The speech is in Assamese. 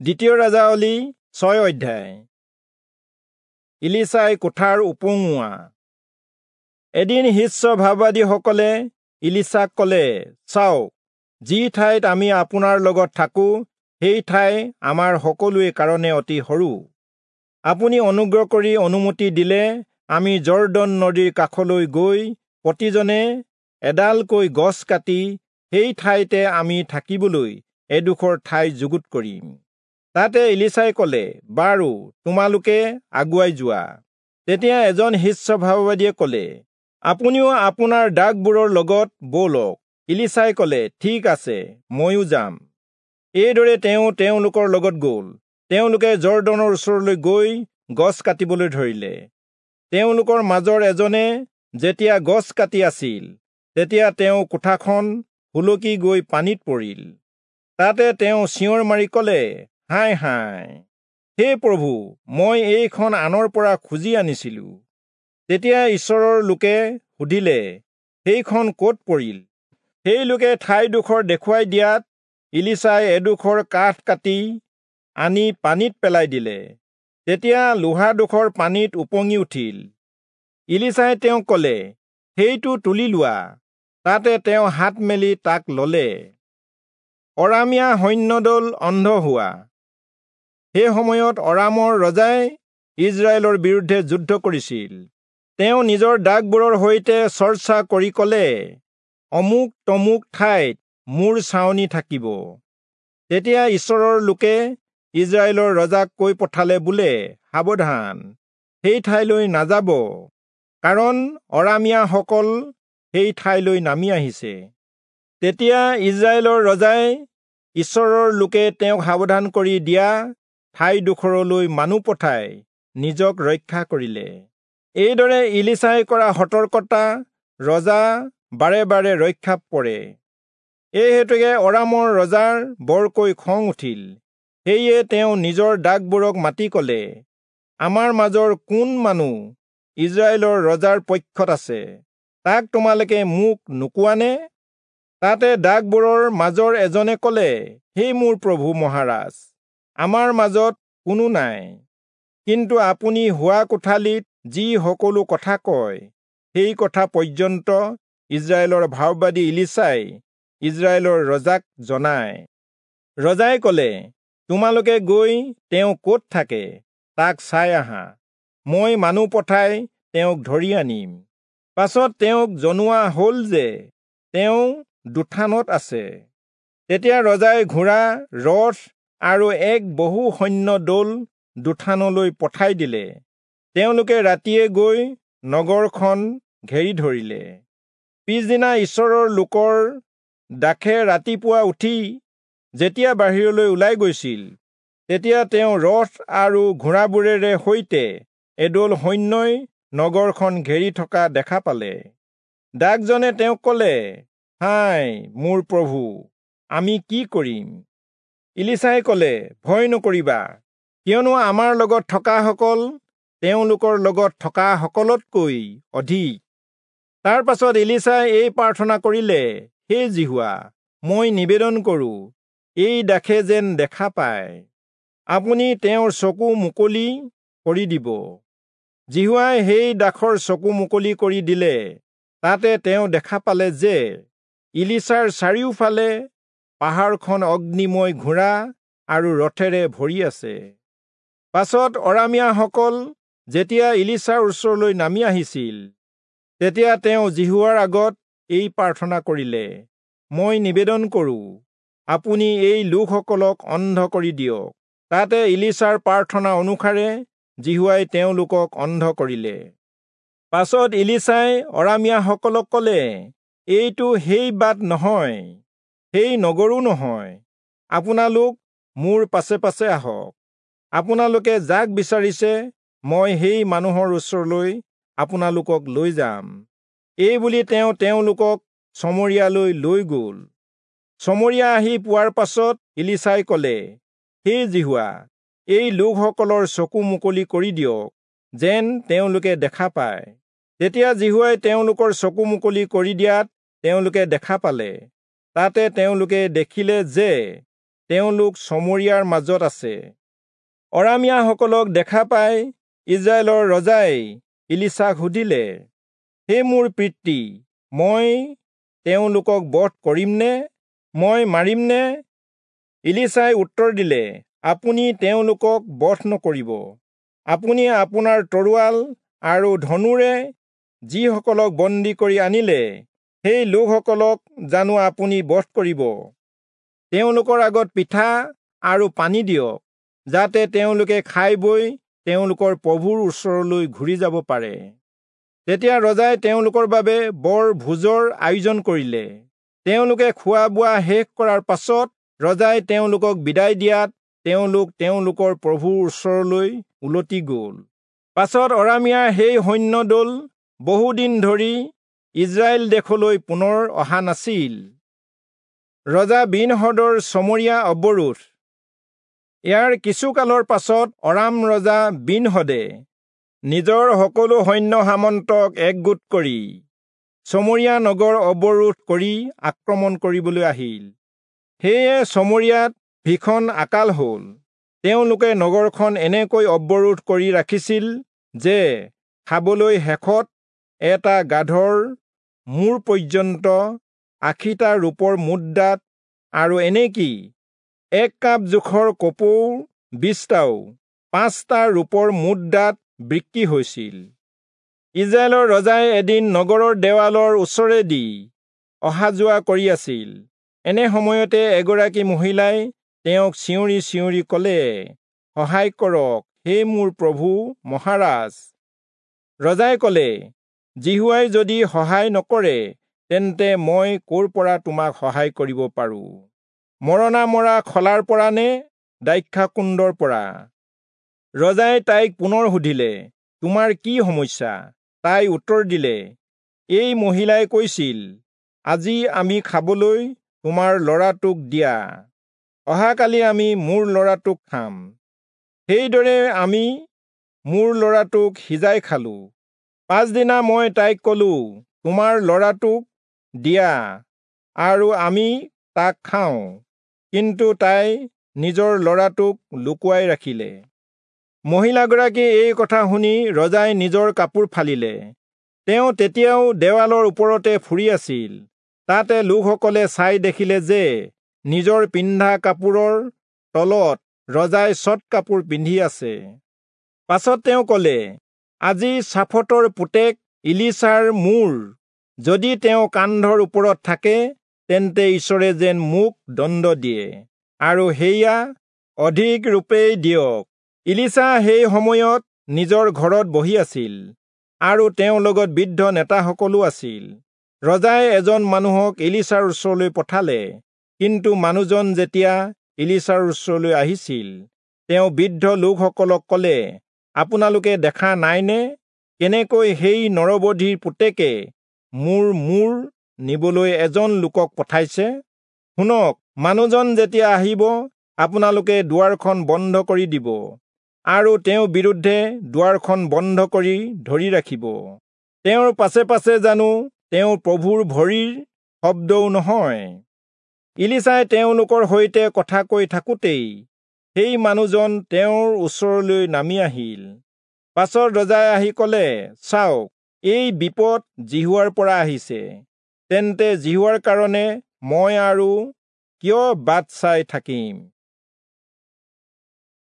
দ্বিতীয় ৰাজাৱলী 6 অধ্যায়। ইলিচাই কোঠাৰ উপঙোৱা। এদিন শিষ্য ভাববাদীসকলে ইলিচাক কলে, চাওক, যি ঠাইত আমি আপোনাৰ লগত থাকো সেই ঠাই আমাৰ সকলোৰে কাৰণে অতি সৰু। আপুনি অনুগ্ৰহ কৰি অনুমতি দিলে আমি জৰ্দন নদীৰ কাষলৈ গৈ প্ৰতিজনে এডালকৈ গছ কাটি সেই ঠাইতে আমি থাকিবলৈ এডোখৰ ঠাই যুগুত কৰিম। তাতে ইলিচাই কলে, বাৰু, তোমালোকে আগুৱাই যোৱা। তেতিয়া এজন শিষ্য ভাববাদীয়ে কলে, আপুনিও আপোনাৰ দাসবোৰৰ লগত ব'লক। ইলিচাই কলে, ঠিক আছে, ময়ো যাম। এইদৰে তেওঁ তেওঁলোকৰ লগত গ'ল। তেওঁলোকে জৰ্দনৰ ওচৰলৈ গৈ গছ কাটিবলৈ ধৰিলে। তেওঁলোকৰ মাজৰ এজনে যেতিয়া গছ কাটি আছিল, তেতিয়া তেওঁ কোঠাখন সুলকি গৈ পানীত পৰিল। তাতে তেওঁ চিঞৰ মাৰি কলে, হায় হায়, হে প্ৰভু, মই এইখন আনৰ পৰা খুজি আনিছিলো। তেতিয়া ঈশ্বৰৰ লোকে সুধিলে, সেইখন ক'ত পৰিল? সেই লোকে ঠাইডোখৰ দেখুৱাই দিয়াত ইলিচাই এডোখৰ কাঠ কাটি আনি পানীত পেলাই দিলে। তেতিয়া লোহাডোখৰ পানীত উপঙি উঠিল। ইলিচাই তেওঁক কলে, সেইটো তুলি লোৱা। তাতে তেওঁ হাত মেলি তাক ললে। অৰামীয়া সৈন্যদল অন্ধ হোৱা। সেই সময়ত অৰামৰ ৰজাই ইজৰাইলৰ বিৰুদ্ধে যুদ্ধ কৰিছিল। তেওঁ নিজৰ দাসবোৰৰ সৈতে চৰ্চা কৰি কলে, অমুক তমুক ঠাইত মোৰ ছাউনি থাকিব। তেতিয়া ঈশ্বৰৰ লোকে ইজৰাইলৰ ৰজাক কৈ পঠালে বোলে, সাৱধান, সেই ঠাইলৈ নাযাব, কাৰণ অৰামীয়াসকল সেই ঠাইলৈ নামি আহিছে। তেতিয়া ইজৰাইলৰ ৰজাই ঈশ্বৰৰ লোকে তেওঁক সাৱধান কৰি দিয়া ঠাইডোখৰলৈ মানুহ পঠাই নিজক ৰক্ষা কৰিলে। এইদৰে ইলিচাই কৰা সতৰ্কতা ৰজা বাৰে বাৰে ৰক্ষা পৰে। এই হেতুকে অৰামৰ ৰজাৰ বৰকৈ খং উঠিল। সেয়ে তেওঁ নিজৰ দাসবোৰক মাতি কলে, আমাৰ মাজৰ কোন মানুহ ইজৰাইলৰ ৰজাৰ পক্ষত আছে, তাক তোমালোকে মোক নোকোৱানে? তাতে দাসবোৰৰ মাজৰ এজনে কলে, হে মোৰ প্ৰভু মহাৰাজ, আমাৰ মাজত কোনো নাই, কিন্তু আপুনি শোৱা কোঠালিত যি সকলো কথা কয় সেই কথা পৰ্যন্ত ইজৰাইলৰ ভাববাদী ইলিচাই ইজৰাইলৰ ৰজাক জনায়। ৰজাই কলে, তোমালোকে গৈ তেওঁ ক'ত থাকে তাক চাই আহা, মই মানুহ পঠাই তেওঁক ধৰি আনিম। পাছত তেওঁক জনোৱা হ'ল যে তেওঁ দোথানত আছে। তেতিয়া ৰজাই ঘোঁৰা, ৰথ আৰু এক বহু সৈন্য দল দোথানলৈ পঠাই দিলে। তেওঁলোকে ৰাতিয়ে গৈ নগৰখন ঘেৰি ধৰিলে। পিছদিনা ঈশ্বৰৰ লোকৰ দাসে ৰাতিপুৱা উঠি যেতিয়া বাহিৰলৈ ওলাই গৈছিল, তেতিয়া তেওঁ ৰথ আৰু ঘোঁৰাবোৰেৰে সৈতে এদল সৈন্যই নগৰখন ঘেৰি থকা দেখা পালে। দাসজনে তেওঁক কলে, হায় মোৰ প্ৰভু, আমি কি কৰিম? ইলিচাই কলে, ভয় নকৰিবা, কিয়নো আমাৰ লগত থকাসকল তেওঁলোকৰ লগত থকাসকলতকৈ অধিক। তাৰ পাছত ইলিচাই এই প্ৰাৰ্থনা কৰিলে, হে যিহোৱা, মই নিবেদন কৰো, এই দাসে যেন দেখা পায়, আপুনি তেওঁৰ চকু মুকলি কৰি দিব। যিহোৱাই সেই দাসৰ চকু মুকলি কৰি দিলে। তাতে তেওঁ দেখা পালে যে ইলিচাৰ চাৰিওফালে পাহাৰখন অগ্নিময় ঘোঁৰা আৰু ৰথেৰে ভৰি আছে। পাছত অৰামীয়াসকল যেতিয়া ইলিচাৰ ওচৰলৈ নামি আহিছিল, তেতিয়া তেওঁ যিহোৱাৰ আগত এই প্ৰাৰ্থনা কৰিলে, মই নিবেদন কৰো, আপুনি এই লোকসকলক অন্ধ কৰি দিয়ক। তাতে ইলিচাৰ প্ৰাৰ্থনা অনুসাৰে যিহোৱাই তেওঁলোকক অন্ধ কৰিলে। পাছত ইলিচাই অৰামীয়াসকলক কলে, এইটো সেই বাট নহয়, সেই নগৰো নহয়, আপোনালোক মোৰ পাছে পাছে আহক। আপোনালোকে যাক বিচাৰিছে মই সেই মানুহৰ ওচৰলৈ আপোনালোকক লৈ যাম। এই বুলি তেওঁ তেওঁলোকক চমৰীয়ালৈ লৈ গ'ল। চমৰীয়া আহি পোৱাৰ পাছত ইলিচাই কলে, হে যিহোৱা, এই লোকসকলৰ চকু মুকলি কৰি দিয়ক, যেন তেওঁলোকে দেখা পায়। তেতিয়া যিহোৱাই তেওঁলোকৰ চকু মুকলি কৰি দিয়াত তেওঁলোকে দেখা পালে। তাতে তেওঁলোকে দেখিলে যে তেওঁলোক চমৰীয়াৰ মাজত আছে। অৰামীয়াসকলক দেখা পাই ইজৰাইলৰ ৰজাই ইলিচাক সুধিলে, হে মোৰ পিতৃ, মই তেওঁলোকক বধ কৰিমনে? মই মাৰিমনে? ইলিচাই উত্তৰ দিলে, আপুনি তেওঁলোকক বধ নকৰিব। আপুনি আপোনাৰ তৰোৱাল আৰু ধনুৰে যিসকলক বন্দী কৰি আনিলে, সেই লোকসকলক জানো আপুনি বধ কৰিব? তেওঁলোকৰ আগত পিঠা আৰু পানী দিয়ক, যাতে তেওঁলোকে খাই বৈ তেওঁলোকৰ প্ৰভুৰ ওচৰলৈ ঘূৰি যাব পাৰে। তেতিয়া ৰজাই তেওঁলোকৰ বাবে বৰ ভোজৰ আয়োজন কৰিলে। তেওঁলোকে খোৱা বোৱা শেষ কৰাৰ পাছত ৰজাই তেওঁলোকক বিদায় দিয়াত তেওঁলোক তেওঁলোকৰ প্ৰভুৰ ওচৰলৈ উলটি গ'ল। পাছত অৰামীয়াৰ সেই সৈন্যদল বহুদিন ধৰি ইজৰাইল দেশলৈ পুনৰ অহা নাছিল। ৰজা বিনহদৰ চমৰীয়া অৱৰোধ। ইয়াৰ কিছুকালৰ পাছত অৰাম ৰজা বিনহদে নিজৰ সকলো সৈন্য সামন্তক একগোট কৰি চমৰীয়া নগৰ অৱৰোধ কৰি আক্ৰমণ কৰিবলৈ আহিল। সেয়ে চমৰীয়াত ভীষণ আকাল হ'ল। তেওঁলোকে নগৰখন এনেকৈ অৱৰোধ কৰি ৰাখিছিল যে খাবলৈ শেষত এটা গাধৰ মূৰ পৰ্যন্ত ৮০টা ৰূপৰ মুদ্ৰাত আৰু এনেকি এক কাপ জোখৰ কপৌৰ ২০টাও ৫টা ৰূপৰ মুদ্ৰাত বিক্ৰী হৈছিল। ইজৰাইলৰ ৰজাই এদিন নগৰৰ দেৱালৰ ওচৰেদি অহা যোৱা কৰি আছিল। এনে সময়তে এগৰাকী মহিলাই তেওঁক চিঞৰি চিঞৰি ক'লে, সহায় কৰক, হে মোৰ প্ৰভু মহাৰাজ। ৰজাই ক'লে, যিহোৱাই যদি সহায় নকৰে, তেন্তে মই ক'ৰ পৰা তোমাক সহায় কৰিব পাৰোঁ? মৰণা মৰা খলাৰ পৰা নে দ্ৰাক্ষাকুণ্ডৰ পৰা? ৰজাই তাইক পুনৰ সুধিলে, তোমাৰ কি সমস্যা? তাই উত্তৰ দিলে, এই মহিলাই কৈছিল, আজি আমি খাবলৈ তোমাৰ ল'ৰাটোক দিয়া, অহাকালি আমি মোৰ ল'ৰাটোক খাম। সেইদৰে আমি মোৰ ল'ৰাটোক সিজাই খালোঁ। পাছদিনা মই তাইক ক'লো, তোমাৰ ল'ৰাটোক দিয়া আৰু আমি তাক খাওঁ। কিন্তু তাই নিজৰ ল'ৰাটোক লুকুৱাই ৰাখিলে। মহিলাগৰাকীয়ে এই কথা শুনি ৰজাই নিজৰ কাপোৰ ফালিলে। তেওঁ তেতিয়াও দেৱালৰ ওপৰতে ফুৰি আছিল। তাতে লোকসকলে চাই দেখিলে যে নিজৰ পিন্ধা কাপোৰৰ তলত ৰজাই চট কাপোৰ পিন্ধি আছে। পাছত তেওঁ ক'লে, আজি চাফটৰ পুতেক ইলিচাৰ মূৰ যদি তেওঁ কান্ধৰ ওপৰত থাকে, তেন্তে ঈশ্বৰে যেন মোক দণ্ড দিয়ে, আৰু সেয়া অধিক ৰূপেই দিয়ক। ইলিচা সেই সময়ত নিজৰ ঘৰত বহি আছিল আৰু তেওঁৰ লগত বৃদ্ধ নেতাসকলো আছিল। ৰজাই এজন মানুহক ইলিচাৰ ওচৰলৈ পঠালে, কিন্তু মানুহজন যেতিয়া ইলিচাৰ ওচৰলৈ আহিছিল, তেওঁ বৃদ্ধ লোকসকলক ক'লে, আপোনালোকে দেখা নাইনে কেনেকৈ সেই নৰবধীৰ পুতেকে মোৰ মূৰ নিবলৈ এজন লোকক পঠাইছে? শুনক, মানুহজন যেতিয়া আহিব, আপোনালোকে দুৱাৰখন বন্ধ কৰি দিব আৰু তেওঁৰ বিৰুদ্ধে দুৱাৰখন বন্ধ কৰি ধৰি ৰাখিব। তেওঁৰ পাছে পাছে জানো তেওঁৰ প্ৰভুৰ ভৰিৰ শব্দও নহয়? ইলিচাই তেওঁলোকৰ সৈতে কথা কৈ থাকোঁতেই সেই মানুহজন তেওঁৰ ওচৰলৈ নামি আহিল। পাছত ৰজাই আহি ক'লে, চাওক, এই বিপদ যিহোৱাৰ পৰা আহিছে। তেন্তে যিহোৱাৰ কাৰণে মই আৰু কিয় বাট চাই থাকিম?